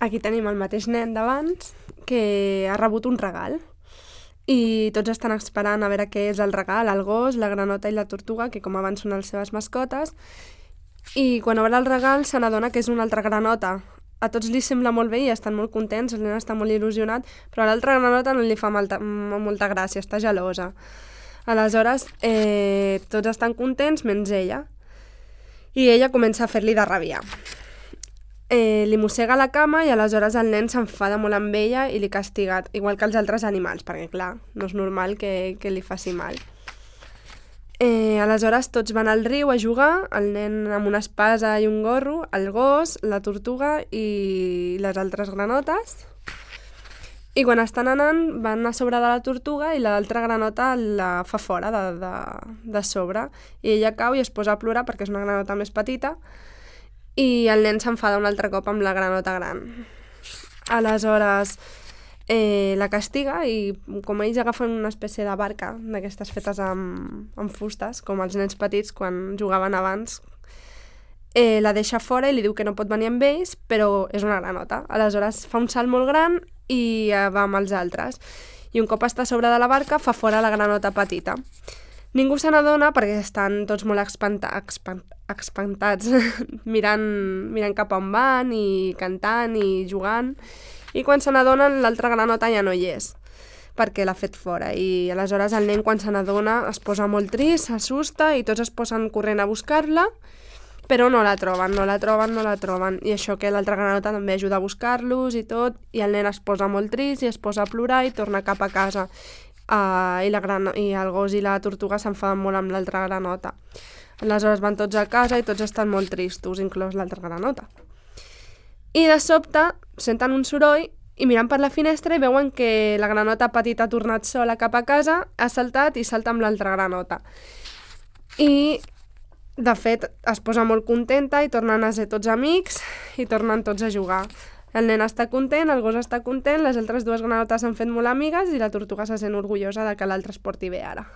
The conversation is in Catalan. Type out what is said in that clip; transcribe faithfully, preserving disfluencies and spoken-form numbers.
aquí tenim el mateix nen d'abans que ha rebut un regal i tots estan esperant a veure què és el regal, el gos, la granota i la tortuga, que com abans són les seves mascotes, i quan obre el regal se n'adona que és una altra granota. A tots li sembla molt bé i estan molt contents, el nen està molt il·lusionat, però a l'altra granota no li fa molta, molta gràcia, està gelosa. Aleshores, eh, tots estan contents menys ella. I ella comença a fer-li de rabiar. Eh, li mossega la cama i aleshores el nen s'enfada molt amb ella i li castiga, igual que els altres animals, perquè clar, no és normal que, que li faci mal. Eh, aleshores tots van al riu a jugar, el nen amb una espasa i un gorro, el gos, la tortuga i les altres granotes. I quan estan anant van a sobre de la tortuga i l'altra granota la fa fora de, de, de sobre. I ella cau i es posa a plorar perquè és una granota més petita i el nen s'enfada un altre cop amb la granota gran. Aleshores eh, la castiga i com ells agafen una espècie de barca d'aquestes fetes amb, amb fustes, com els nens petits quan jugaven abans, eh, la deixa fora i li diu que no pot venir amb ells, però és una granota. Aleshores fa un salt molt gran i eh, va amb els altres. I un cop està a sobre de la barca fa fora la granota petita. Ningú se n'adona perquè estan tots molt espanta, espant, espantats mirant, mirant cap on van i cantant i jugant. I quan se n'adonen l'altra granota ja no hi és perquè l'ha fet fora. I aleshores el nen quan se n'adona es posa molt trist, s'assusta i tots es posen corrent a buscar-la, però no la troben, no la troben, no la troben. I això que l'altra granota també ajuda a buscar-los i tot, i el nen es posa molt trist i es posa a plorar i torna cap a casa. Uh, i, la gran... I el gos i la tortuga s'enfaden molt amb l'altra granota. Aleshores van tots a casa i tots estan molt tristos, inclòs l'altra granota. I de sobte senten un soroll i miren per la finestra i veuen que la granota petita ha tornat sola cap a casa, ha saltat i salta amb l'altra granota. I de fet es posa molt contenta i tornen a ser tots amics i tornen tots a jugar. El nen està content, el gos està content, les altres dues granotes s'han fet molt amigues i la tortuga se sent orgullosa de que l'altre es porti bé ara.